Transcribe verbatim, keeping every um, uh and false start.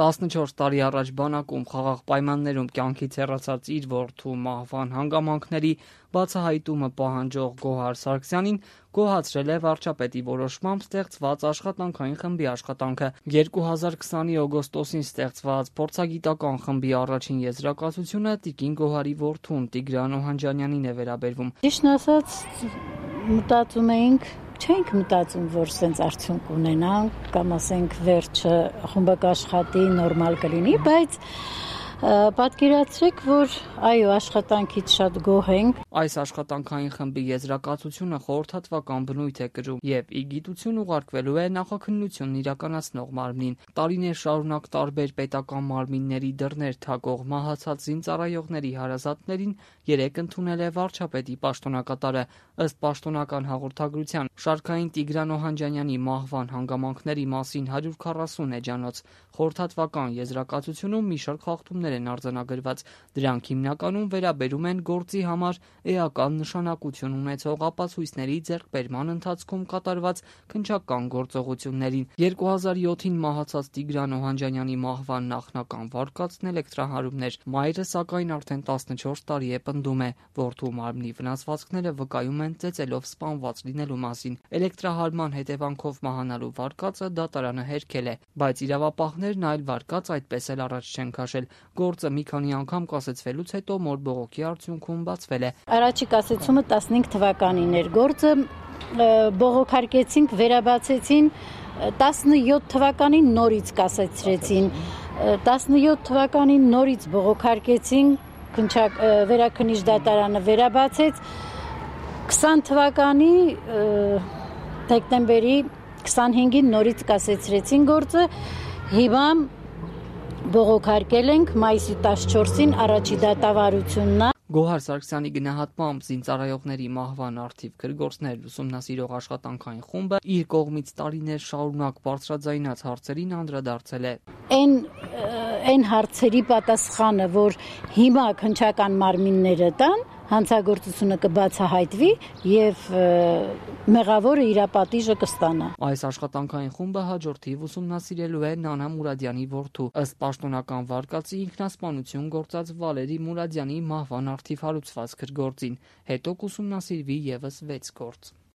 տասնչորս տարի առաջ բանակում խաղաղ պայմաններում կյանքից հեռացած իր որդու մահվան հանգամանքների բացահայտումը պահանջող Գոհար Սարգսյանին գոհացրել է վարչապետի որոշմամբ ստեղծված աշխատանքային խմբի աշխատանքը։ երկու հազար քսանի օգոստոսին ստեղծված փորձագիտական խմբի առաջին եզրակացությունը տիկին Գոհարի որդուն Տիգրան Օհանջանյանին է վերաբերվում։ Ճիշտն ասած, մտածում էինք Չենք մտածում, որ սենց արդյունք ունենանք, կամ ասենք վերջը խումբը կաշխատի, նորմալ կլինի, բայց պատկերացրեք, որ այո, աշխատանքից շատ գոհ ենք։ Այս աշխատանքային խմբի եզրակացությունը խորհրդատվական բնույթ է կրում եւ ի գիտություն ուղարկվելու է նախաքննությունն իրականացնող մարմնին։ Տարիներ շարունակ տարբեր պետական մարմինների դռներ թակող մահացած զինծառայողների հարազատներին երեկ ընդունել է վարչապետի պաշտոնակատարը։ Ըստ պաշտոնական հաղորդագրության, շարքային Տիգրան Օհանջանյանի մահվան հանգամանքների մասին հարյուր քառասուն էջանոց խորհրդատվական եզրակացությունում մի շարք խախտումներ են արձանագրված։ Դրանք հիմնականում վերաբերում են գործի համար էական նշանակություն ունեցող ապացույցների ձեռքբերման ընթացքում կատարված քննչական գործողություններին։ երկու հազար յոթին մահացած Տիգրան Օհանջանյանի մահվան նախնական վարկածն էլեկտրահարումն էր։ Մայրը, սակայն, արդեն տասնչորս տարի է պնդում է, որդու մարմնի վնասվածքները վկայում են ծեծելով սպանված լինելու մասին։ Էլեկտրահարման հետևանքով մահանալու վարկածը դատարանը հերքել է, բայց իրավապահներն այլ վարկած այդպես էլ առաջ չեն քաշել։ Գործը մի քանի անգամ կասեցվելուց հետո մոր բողոքի արդյունքում բացվել է։ Առաջի կասեցումը տասնհինգ թվականին էր։ Գործը բողոքարկեցինք, վերաբացեցին տասնյոթ թվականին նորից կասեցրեցին։ տասնյոթ թվականին նորից բողոքարկեցին, վերաքննիչ դատարանը վերաբացեց։ քսան թվականի դեկտեմբերի քսանհինգին նորից կասեցրեցին գործը։ Հիմա բողոքարկել ենք մայիսի տասնչորսին առաջի դատավարությունն է։ Գոհար Սարգսյանի գնահատմամբ զինծառայողների մահվան առթիվ քրգործներ ուսումնասիրող աշխատանքային խումբը իր կողմից տարիներ շարունակ բարձրաձայնած հարցերին անդրադարձել է։ Այն այն հարցերի պատասխանը, որ հիմա քննչական մարմինները տան, հանցագործությունը կբացահայտվի եւ մեղավորը իր պատիժը կստանա։ Այս աշխատանքային խումբը հաջորդիվ ուսումնասիրելու է Նանա Մուրադյանի որդու, ըստ պաշտոնական վարկածի, ինքնասպանություն գործած Վալերի Մուրադյանի մահվան առթիվ հարուցված քրգործին։ Հետո կուսումնասիրվի եւս վեց գործ։